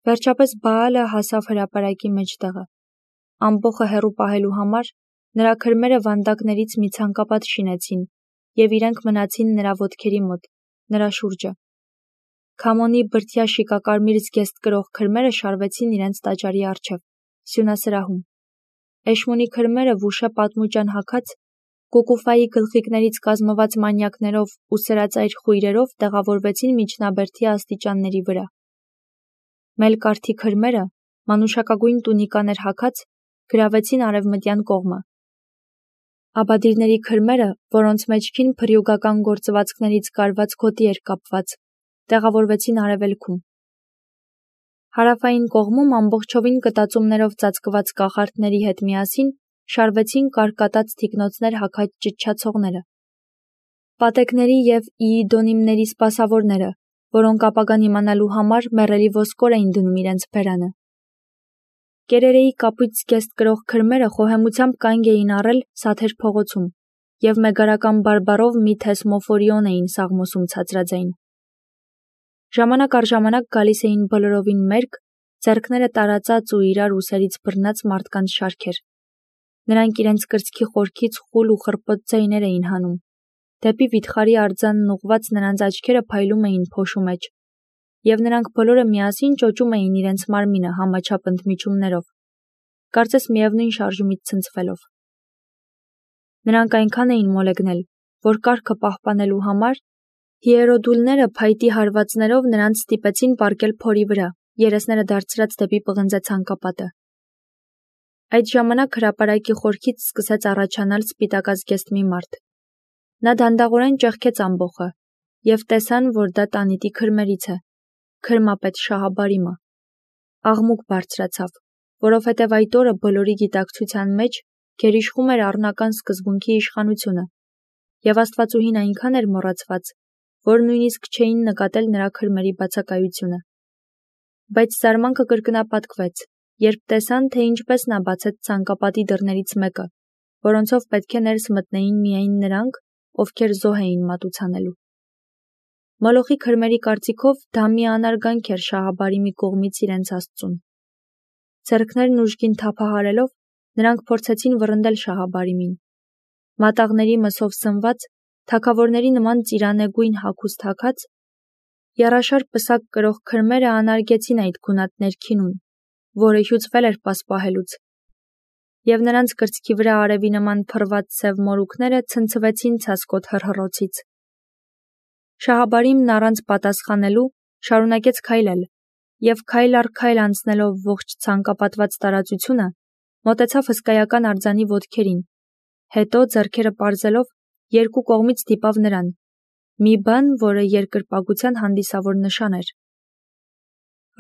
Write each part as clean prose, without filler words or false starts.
Վերջապես Բաալը հասավ հրապարակի մեջտեղը։ Ամբոխը հեռու պահելու համար նրա քրմերը վանդակներից մի ցանկապատ շինեցին, և իրենք մնացին նրա ոտքերի մոտ, նրա շուրջը։ Քամոնի բրդյա շիկակարմիր զգեստ կրող քրմերը շարվեցին իրենց տաճարի առջև, սյունասրահում։ Էշմոնի քրմերը վուշե պատմուճան հագած, կուկուֆայի գլխիկներից կազմված մանյակներով ու սրածայր խույրերով տեղավորվեցին միջնաբերդի աստիճանների վրա։ Մելկարթի քրմերը, մանուշակագույն տունիկաներ հագած, գրավեցին արևմտյան կողմը։ Աբադիրների քրմերը, որոնց մեջքին փրյուգական գործվածքներից կարված գոտի էր կապված, տեղավորվեցին արևելքում։ Հարավային կողմում ամբողջովին կտածումներով ծածկված կախարդների հետ միասին շարվեցին կարկատած թիկնոցներ հագած ճչացողները։ Պատեկների և իիդոնիմների սպասավորները, որոնք ապագան իմանալու համար մեռելի ոսկոր էին դնում իրենց բերանը։ Կերերեի կապույտ զգեստ կրող քրմերը խոհեմությամբ կանգ էին առել Սաթեր փողոցում և մեգարական բարբառով մի թեսմոֆորիոն էին սաղմոսում ցածրաձայն։ Ժամանակ առ ժամանակ գալիս էին բոլորովին մերկ, ձեռքները տարածած ու իրար ուսերից բռնած մարդկանց շարքեր։ Նրանք իրենց կրծքի խորքից խուլ ու խռպոտ ձայներ էին հանում։ Դեպի վիթխարի արձանն ուղղված նրանց աչքերը փայլում էին փոշու մեջ, և նրանք բոլորը միասին ճոճում էին իրենց մարմինը համաչափ ընդմիջումներով, կարծես միևնույն շարժումից ցնցվելով։ Նրանք այնքան էին մոլեգնել, որ կարգը պահպանելու համար հիերոդուլները փայտի հարվածներով նրանց ստիպեցին պառկել փորի վրա, երեսները դարձրած դեպի պղնձե ցանկապատը։ Այդ ժամանակ հրապարակի խորքից սկսեց առաջանալ սպիտակազգեստ մի մարդ։ Նա դանդաղորեն ճեղքեց ամբոխը, և տեսան, որ դա տանիտի քրմերից է, քրմապետ Շահաբարիմը։ Աղմուկ բարձրացավ, որովհետև այդ օրը բոլորի գիտակցության մեջ գերիշխում էր առնական սկզբունքի իշխանությունը, և աստվածուհին այնքան էր մոռացված, որ նույնիսկ չէին նկատել նրա քրմերի բացակայությունը։ Բայց զարմանքը կրկնապատկվեց, երբ տեսան, թե ինչպես նա բացեց ցանկապատի դռներից մեկը, որոնցով պետք է ներս մտնեին միայն նրանք, ովքեր զոհ էին մատուցանելու։ Մոլոխի քրմերի կարծիքով դա մի անարգանք էր Շահաբարիմի կողմից իրենց աստծուն։ Ձեռքներն ուժգին թափահարելով, նրանք փորձեցին վռնդել Շահաբարիմին։ Մատաղների մսով սնված, թագավորների նման ծիրանեգույն հագուստ հագած, եռաշար պսակ կրող քրմերը անարգեցին այդ գունատ ներքինուն, որը հյուծվել էր պասպահելուց, և նրանց կրծքի վրա արևի նման փռված սև մորուքները ցնցվեցին ցասկոտ հռհռոցից։ Շահաբարիմն առանց պատասխանելու շարունակեց քայլել, և քայլ առ քայլ անցնելով ողջ ցանկապատված տարածությունը, մոտեցավ հսկայական արձանի ոտքերին, հետո ձեռքերը պարզելով երկու կողմից դիպավ նրան, մի բան, որը երկրպագության հանդիսավոր նշան էր։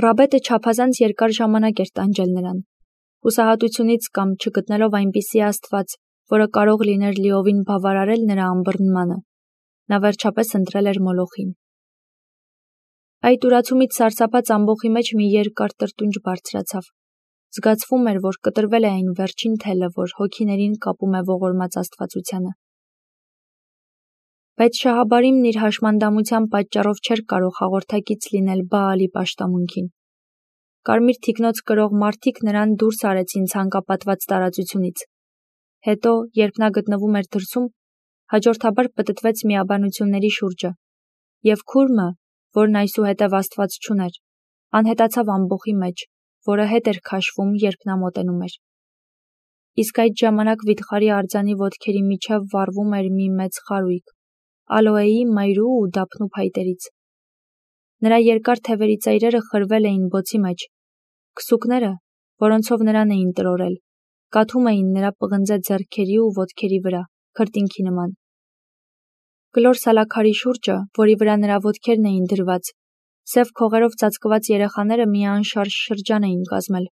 Ռաբետը չափազանց երկար ժամանակ էր տանջել նրան, հուսահատությունից կամ չգտնելով այնպիսի աստված, որը կարող լիներ լիովին բավարարել նրա ըմբռնմանը, նա վերջապես ընտրել էր Մոլոխին։ Այդ ուրացումից սարսափած ամբոխի մեջ մի երկար տրտունջ բարձրացավ։ Զգացվում էր, որ կտրվել է այն վերջին թելը, որ հոգիներին կապում է ողորմած աստվածությանը։ Բայց Շահաբարիմն իր հաշմանդամության պատճառով չէր կարող հաղորդակից լինել Բաալի պաշտամունքին։ Կարմիր թիկնոց կրող մարդիկ նրան դուրս արեցին ցանկապատված տարածությունից։ Հետո, երբ նա գտնվում էր դրսում, հաջորդաբար պտտվեց միաբանությունների շուրջը, և քուրմը, որն այսուհետև աստված չուներ, անհետացավ ամբոխի մեջ, որը հետ էր քաշվում, երբ նա մոտենում էր։ Իսկ այդ ժամանակ վիթխարի արձանի ոտքերի միջև վառվում էր մի մեծ խարույկ, ալոեի, մայրու ու դափնու փայտերից։ Նրա երկար թևերի ծայրերը խրվել էին բոցի մեջ, քսուկները, որոնցով նրան էին տրորել, կաթում էին նրա պղնձե ձեռքերի ու ոտքերի վրա, քրտինքի նման։ Կլոր սալաքարի շուրջը, որի վրա նրա ոտքերն էին դրված, սև քողերով ծածկված երեխաները մի անշարժ շրջան էին կազմել,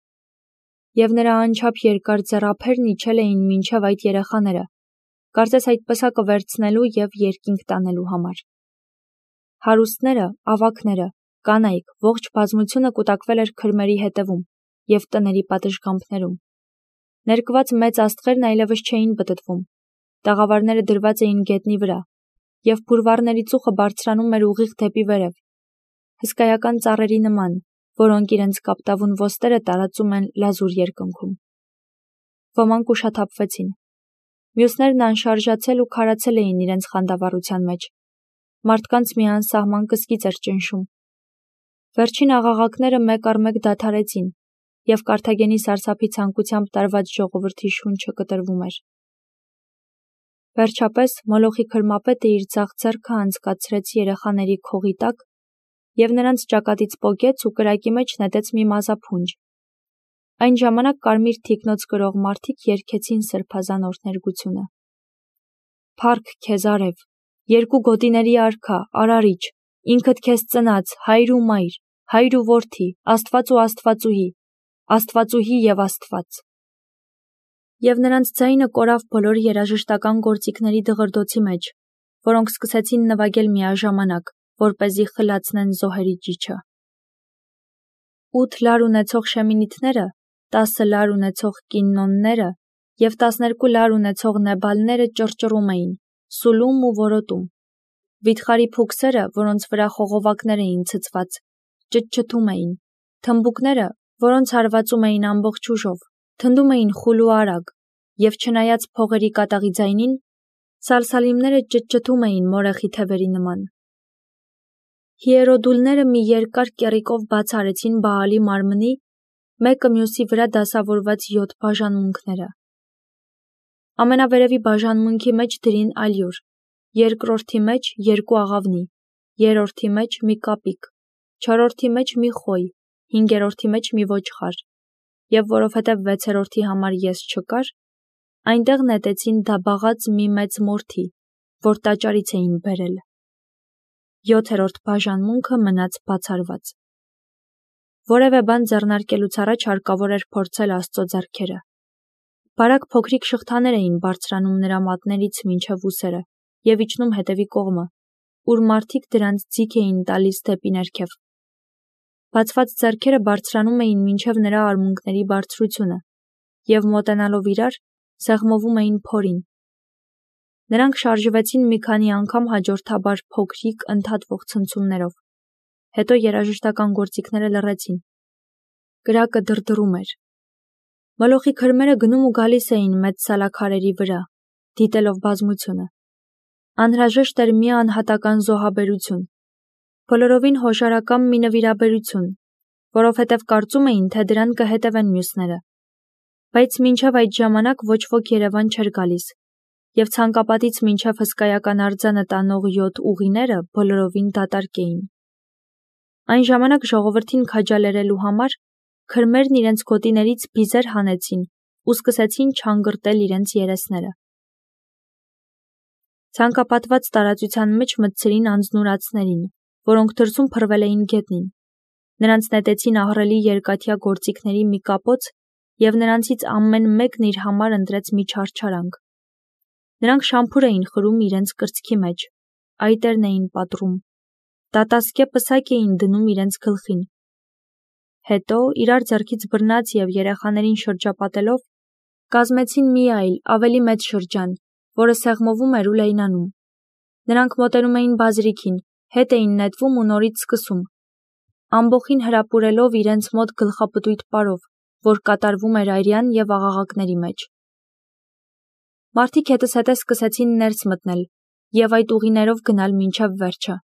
և նրա անչափ երկար ձեռափերն իջել էին մինչև այդ երեխաները, կարծես այդ պսակը վերցնելու և երկինք տանելու համար։ Հարուստները, ավագները, կանայք, ողջ բազմությունը կուտակվել էր քրմերի հետևում և տների պատշգամբներում։ Ներկված մեծ աստղերն այլևս չէին պտտվում, տաղավարները դրված էին գետնի վրա, և փուրվառների ծուխը բարձրանում էր ուղիղ դեպի վերև, հսկայական ծառերի նման, որոնք իրենց կապտավուն ոստերը տարածում են լազուր երկնքում։ Ոմանք ուշաթափվեցին։ Մյուսներն անշարժացել ու քարացել էին իրենց խանդավառության մեջ։ Մարդկանց մի անսահման կսկիծ էր ճնշում։ Վերջին աղաղակները մեկ առ մեկ դադարեցին, և Կարթագենի սարսափի ցանկությամբ տարված ժողովրդի շունչը կտրվում էր։ Վերջապես Մոլոխի քրմապետը իր ձախ ձեռքը անցկացրեց երեխաների քողի տակ և նրանց ճակատից պոկեց ու կրակի մեջ նետեց մի մազափունջ։ Այն ժամանակ կարմիր թիկնոց կրող մարդիկ երգեցին սրբազան օրհներգությունը։ Փառք քեզ արև, երկու գոտիների արքա, արարիչ, ինքդ քեզ ծնած, հայր ու մայր, հայր ու որդի, Աստված ու Աստվածուհի, Աստվածուհի և Աստված։ Եվ նրանց ձայնը կորավ բոլոր երաժշտական գործիքների դղրդոցի մեջ, որոնք սկսեցին նվագել միաժամանակ, որպեսզի խլացնեն զոհերի ճիչը։ 8 լար ունեցող շեմինիթները, 10 լար ունեցող կիննոնները և 12 լար ունեցող նեբալները ճռճռում էին, սուլում ու որոտում։ Վիթխարի փուքսերը, որոնց վրա խողովակներ էին ցցված, ճտչտում էին, թմբուկները, որոնց հարվածում էին ամբողջ ուժով, թնդում էին խուլ ու արագ, և չնայած փողերի կատաղի ձայնին, սալսալիմները ճտչտում էին մորեխի թևերի նման։ Հիերոդուլները մի երկար կեռիկով բաց արեցին Բաալի մարմնի, մեկը մյուսի վրա դասավորված 7 բաժանմունքները։ Ամենավերևի բաժանմունքի մեջ դրին ալյուր, երկրորդի մեջ 2 աղավնի, երրորդի մեջ մի կապիկ, չորրորդի մեջ մի խոյ, հինգերորդի մեջ մի ոչխար, և որովհետև վեցերորդի համար ես չկար, այնտեղ նետեցին դաբաղած մի մեծ մորթի, որ տաճարից էին բերել։ 7-րդ բաժանմունքը մնաց բացարված։ Որևէ բան ձեռնարկելուց առաջ հարկավոր էր փորձել Աստծո ձեռքերը։ Բարակ փոքրիկ շղթաներ էին բարձրանում նրա մատներից մինչև ուսերը և իջնում հետևի կողմը, ուր մարդիկ դրանց ձիգ էին տալիս դեպի ներքև։ Բացված ձեռքերը բարձրանում էին մինչև նրա արմունկների բարձրությունը և մոտենալով իրար, սեղմովում էին փորին։ Նրանք շարժվեցին մի քանի անգամ հաջորդաբար փոքրիկ ընդհատվող ցնցումներով։ Հետո երաժշտական գործիքները լռեցին։ Կրակը դրդռում էր։ Մոլոխի քրմերը գնում ու գալիս էին մեծ սալաքարերի վրա, դիտելով բազմությունը։ Անհրաժեշտ էր մի անհատական զոհաբերություն, բոլորովին հոշարակամ մի նվիրաբերություն, որովհետև կարծում էին, թե դրան կհետևեն մյուսները։ Բայց մինչև այդ ժամանակ ոչ ոք Երևան չէր գալիս, և ցանկապատից մինչև հսկայական արձանը տանող 7 ուղիները բոլորովին դատարկ էին։ Այն ժամանակ ժողովրդին քաջալերելու համար քրմերն իրենց գոտիներից բիզեր հանեցին ու սկսեցին չանգրտել իրենց երեսները։ Ցանկապատված տարածության մեջ մտցրին անձնուրացներին, որոնք դրսում փռվել էին գետնին։ Նրանց նետեցին ահռելի երկաթյա գործիքների մի կապոց և նրանցից ամեն մեկն իր համար ընտրեց մի չարչարանք։ Նրանք շամփուր էին խրում իրենց կրծքի մեջ, այտերն էին պատռում, դատասկե պսակ էին դնում իրենց գլխին։ Հետո, իրար ձեռքից բռնած և երեխաներին շրջապատելով, կազմեցին մի այլ, ավելի մեծ շրջան, որը սեղմովում էր ու լայնանում։ Նրանք մոտենում էին բազրիքին, հետ էին նետվում ու նորից սկսում, ամբոխին հրապուրելով իրենց մոտ գլխապտույտ պարով, որ կատարվում էր այրյան և աղաղակների մեջ։ Մարդիկ հետզհետե սկսեցին ներս մտնել և այդ ուղիներով գնալ մինչև վերջը։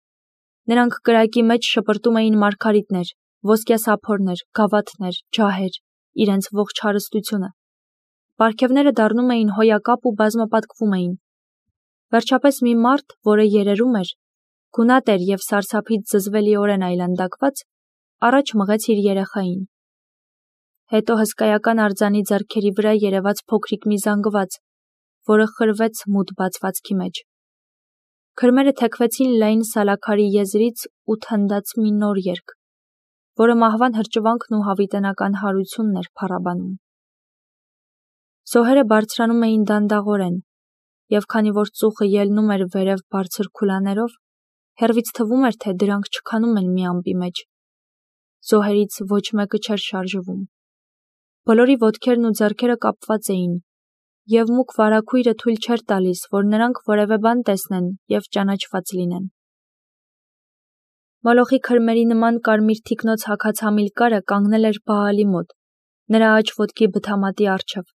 Նրանք կրակի մեջ շպրտում էին մարգարիտներ, ոսկյասափորներ, գավաթներ, ջահեր, իրենց ողջ հարստությունը։ Պարգևները դառնում էին հոյակապ ու բազմապատկվում էին։ Վերջապես մի մարդ, որը երերում էր, գունատ էր և սարսափից զզվելիորեն այլանդակված, առաջ մղեց իր երեխային։ Հետո հսկայական արձանի ձեռքերի վրա երևաց փոքրիկ մի զանգված, որը խրվեց մութ բացվածքի մեջ։ Քրմերը թեքվեցին լայն սալաքարի եզրից ու թնդաց մի նոր երգ, որը մահվան հրճվանքն ու հավիտենական հարությունն էր փառաբանում։ Զոհերը բարձրանում էին դանդաղորեն, և քանի որ ծուխը ելնում էր վերև բարձր քուլաներով, հեռվից թվում էր, թե դրանք չքանում են մի ամպի մեջ։ Զոհերից ոչ մեկը չէր շարժվում։ Բոլորի ոտքերն ու ձեռքերը կապված էին, և մուգ վարագույրը թույլ չէր տալիս, որ նրանք որևէ բան տեսնեն և ճանաչված լինեն։ Մոլոխի քրմերի նման կարմիր թիկնոց հագած Համիլկարը կանգնել էր Բաալի մոտ, նրա աջ ոտքի բթամատի առջև։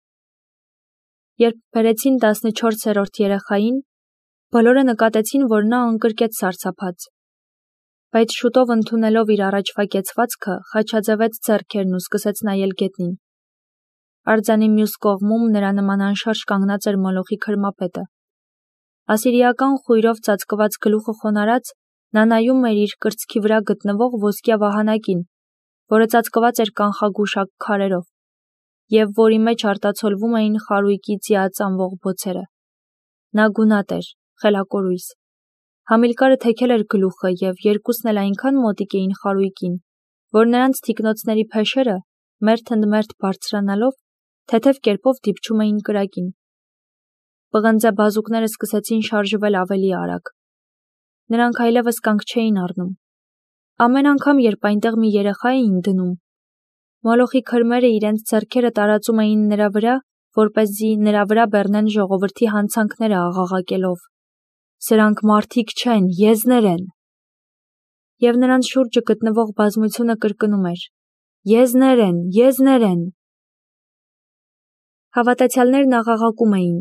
Երբ բերեցին 14-րդ երեխային, բոլորը նկատեցին, որ նա անկրկեց սարսափած։ Բայց շուտով ընդունելով իր առաջվա կեցվածքը, խաչաձևեց ձեռքերն ու սկսեց նայել գետնին։ Արձանի մյուս կողմում նրա նման անշարժ կանգնած էր Մոլոխի քրմապետը։ Ասիրիական խույրով ծածկված գլուխը խոնարհած, նա նայում էր իր կրծքի վրա գտնվող ոսկյա վահանակին, որը ծածկված էր կանխագուշակ քարերով, և որի մեջ արտացոլվում էին խարույկի ծիածանվող բոցերը։ Նա գունատ էր, խելակորույս։ Համիլկարը թեքել էր գլուխը, և երկուսն էլ այնքան մոտիկ էին խարույկին, որ նրանց թիկնոցների փեշերը, մերթ ընդ մերթ բարձրանալով, թեթև կերպով դիպչում էին կրակին։ Պղնձե բազուկները սկսեցին շարժվել ավելի արագ։ Նրանք այլևս կանգ չէին առնում։ Ամեն անգամ, երբ այնտեղ մի երեխա էին դնում, Մոլոխի քրմերը իրենց ձեռքերը տարածում էին նրա վրա, որպեսզի նրա վրա բեռնեն ժողովրդի հանցանքները աղաղակելով. «Սրանք մարդիկ չեն, եզներ են»։ Եվ նրանց շուրջը գտնվող բազմությունը կրկնում էր. «Եզներ են, եզներ են»։ Հավատացյալներն աղաղակում էին.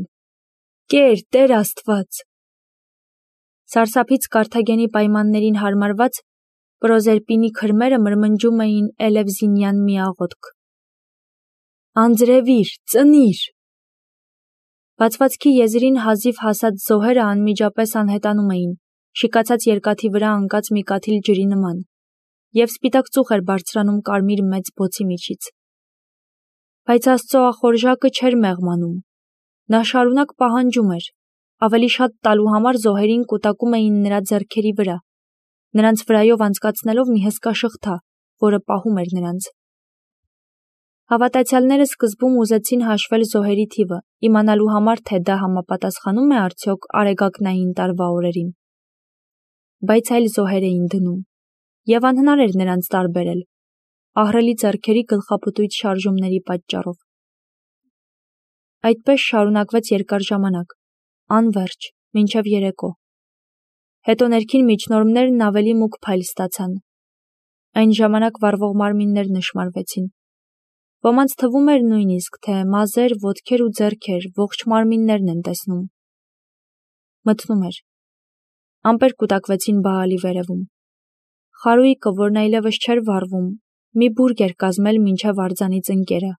«Կեր, Տեր Աստված»։ Սարսափից Կարթագենի պայմաններին հարմարված Պրոզերպինի քրմերը մրմնջում էին Էլևզինյան միաղոթք. «Անձրևիր, ծնիր»։ Բացվածքի եզրին հազիվ հասած զոհերը անմիջապես անհետանում էին, շիկացած երկաթի վրա ընկած մի կաթիլ ջրի նման, և սպիտակ ծուխ էր բարձրանում կարմիր մեծ բոցի միջից։ Բայց Աստծո ախորժակը չէր մեղմանում։ Նա շարունակ պահանջում էր, ավելի շատ տալու համար զոհերին կուտակում էին նրա ձեռքերի վրա, նրանց վրայով անցկացնելով մի հսկա շղթա, որը պահում էր նրանց։ Հավատացյալները սկզբում ուզեցին հաշվել զոհերի թիվը, իմանալու համար, թե դա համապատասխանում է արդյոք Արեգակնային տարվա օրերին։ Բայց այլ զոհեր էին դնում, և անհնար էր նրանց տարբերել, ահռելի ձեռքերի գլխապտույտ շարժումների պատճառով։ Այդպես շարունակվեց երկար ժամանակ, անվերջ, մինչև երեկո։ Հետո ներքին միջնորդներն ավելի մուգ փայլ ստացան։ Այն ժամանակ վառվող մարմիններ նշմարվեցին։ Ոմանց թվում էր նույնիսկ, թե մազեր, ոտքեր ու ձեռքեր, ողջ մարմիններն են տեսնում։ Մթնում էր։ Ամպեր կուտակվեցին Բաալի վերևում։ Խարույկը, որն այլևս չէր վառվում, մի բուրգ էր կազմել մինչև արձանի ծնկերը։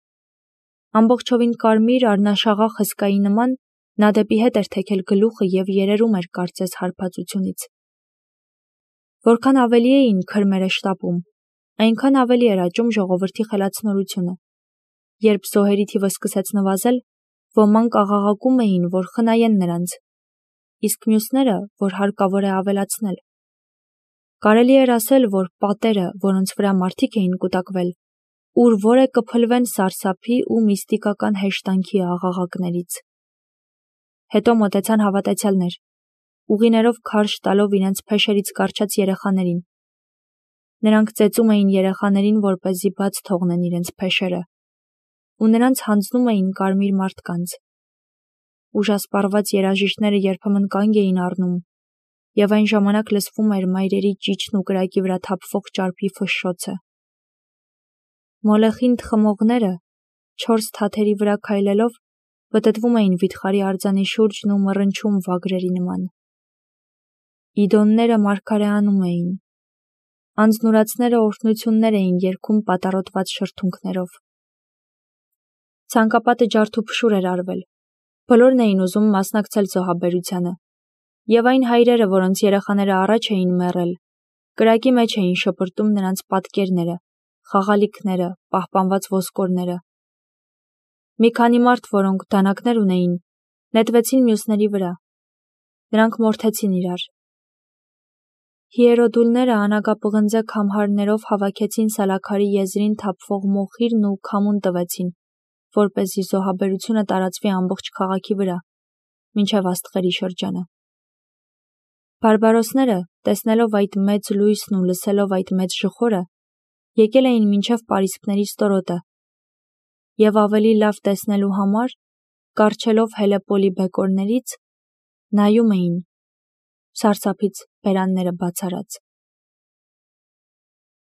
Ամբողջովին կարմիր, առնաշաղախ հսկայի նման, նա դեպի հետ էր թեքել գլուխը և երերում էր կարծես հարբածությունից։ Որքան ավելի էին քրմերը շտապում, այնքան ավելի էր աճում ժողովրդի խելացնորությունը։ Երբ զոհերի թիվը սկսեց նվազել, ոմանք աղաղակում էին, որ խնայեն նրանց, իսկ մյուսները, որ հարկավոր է ավելացնել։ Կարելի էր ասել, որ պատերը, որոնց վրա մարդիկ էին կուտակվել, ուր որ է կփլվեն սարսափի ու միստիկական հեշտանքի աղաղակներից։ Հետո մոտեցան հավատացյալներ, ուղիներով քարշ տալով իրենց փեշերից կառչած երեխաներին։ Նրանք ծեծում էին երեխաներին, որպեսզի բաց թողնեն իրենց փեշերը, ու նրանց հանձնում էին կարմիր մարդկանց։ Ուժասպառված երաժիշտները երբեմն կանգ էին առնում, և այն ժամանակ լսվում էր մայրերի ճիչն ու կրակի վրա թափվող ճարպի ֆշշոցը։ Մոլեխին թխմողները, 4 թաթերի վրա քայլելով, պտտվում էին վիթխարի արձանի շուրջն ու մռնչում վագրերի նման։ Իդոնները մարգարեանում էին։ Անձնուրացները օրհնություններ էին երգում պատառոտված շրթունքներով։ Ցանկապատը ջարդուփշուր էր արվել։ Բոլորն էին ուզում մասնակցել զոհաբերությանը։ Եվ այն հայրերը, որոնց երեխաները առաջ էին մեռել, կրակի մեջ էին շպրտում նրանց պատկերները, խաղալիքները, պահպանված ոսկորները։ Մի քանի մարդ, որոնք դանակներ ունեին, նետվեցին մյուսների վրա։ Նրանք մորթեցին իրար։ Հիերոդուլները անագապղնձե քամհարներով հավաքեցին Սալաքարի եզրին թափվող մոխիրն ու քամուն տվեցին, որպեսզի զոհաբերությունը տարածվի ամբողջ քաղաքի վրա, մինչև աստղերի շրջանը։ Բարբարոսները, տեսնելով այդ մեծ լույսն ու լսելով այդ մեծ ժխորը, եկել էին մինչև պարիսպների ստորոտը, և ավելի լավ տեսնելու համար, կառչելով Հելեպոլի բեկորներից, նայում էին, սարսափից բերանները բաց արած։